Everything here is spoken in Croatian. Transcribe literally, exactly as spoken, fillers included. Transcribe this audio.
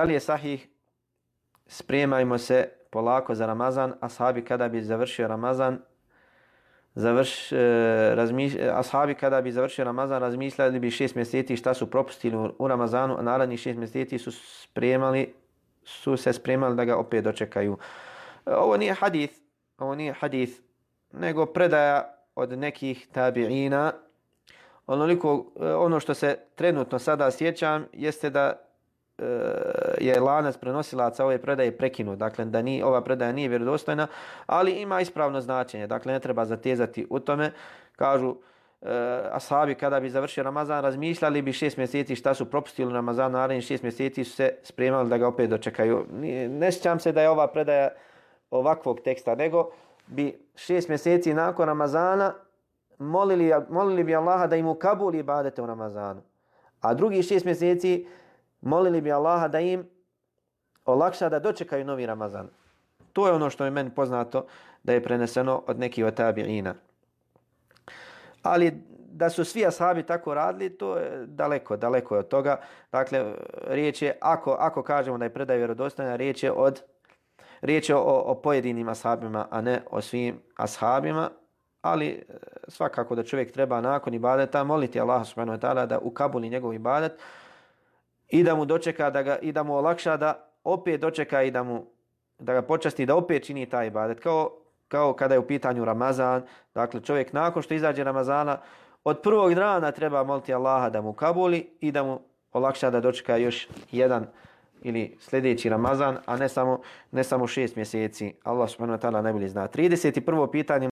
Da li je sahih spremajmo se polako za Ramazan, ashabi kada bi završio Ramazan, završ, e, razmiš, ashabi kada bi završio Ramazan razmišljali bi šest mjeseci šta su propustili u, u Ramazanu, a narednih šest mjeseci su spremali, su se spremali da ga opet dočekaju. Ovo nije hadith, ovo nije hadith, nego predaja od nekih tabiina. Onoliko, ono što se trenutno sada sjećam jeste da e, je lanac prenosilaca ove predaje prekinut. Dakle, da ni, ova predaja nije vjerodostojna, ali ima ispravno značenje. Dakle, ne treba zatezati u tome. Kažu, e, ashabi kada bi završio Ramazan razmišljali bi šest mjeseci šta su propustili u Ramazan, narednih šest mjeseci su se spremali da ga opet dočekaju. Ne sjećam se da je ova predaja ovakvog teksta, nego bi šest mjeseci nakon Ramazana molili, molili bi Allaha da im ukabuli ibadete u Ramazanu. A drugi šest mjeseci molili bi Allaha da im olakša da dočekaju novi Ramazan. To je ono što je meni poznato da je preneseno od nekih od tabiina. Ali da su svi ashabi tako radili, to je daleko, daleko od toga. Dakle, riječ je, ako, ako kažemo da je predaja vjerodostojna, riječ je od Riječ je o, o pojedinim ashabima, a ne o svim ashabima, ali svakako da čovjek treba nakon ibadeta moliti Allaha subhanahu wa ta'ala da ukabuli njegov ibadet i da mu dočeka, da ga, i da mu olakša da opet dočeka i da mu da ga počasti da opet čini taj ibadet. Kao, kao kada je u pitanju Ramazan, dakle čovjek nakon što izađe Ramazana, od prvog dana treba moliti Allaha da mu ukabuli i da mu olakša da dočeka još jedan ili sljedeći Ramazan, a ne samo, ne samo šest mjeseci. Allah subhanahu wa ta'ala najbolje zna. trideset prvo pitanje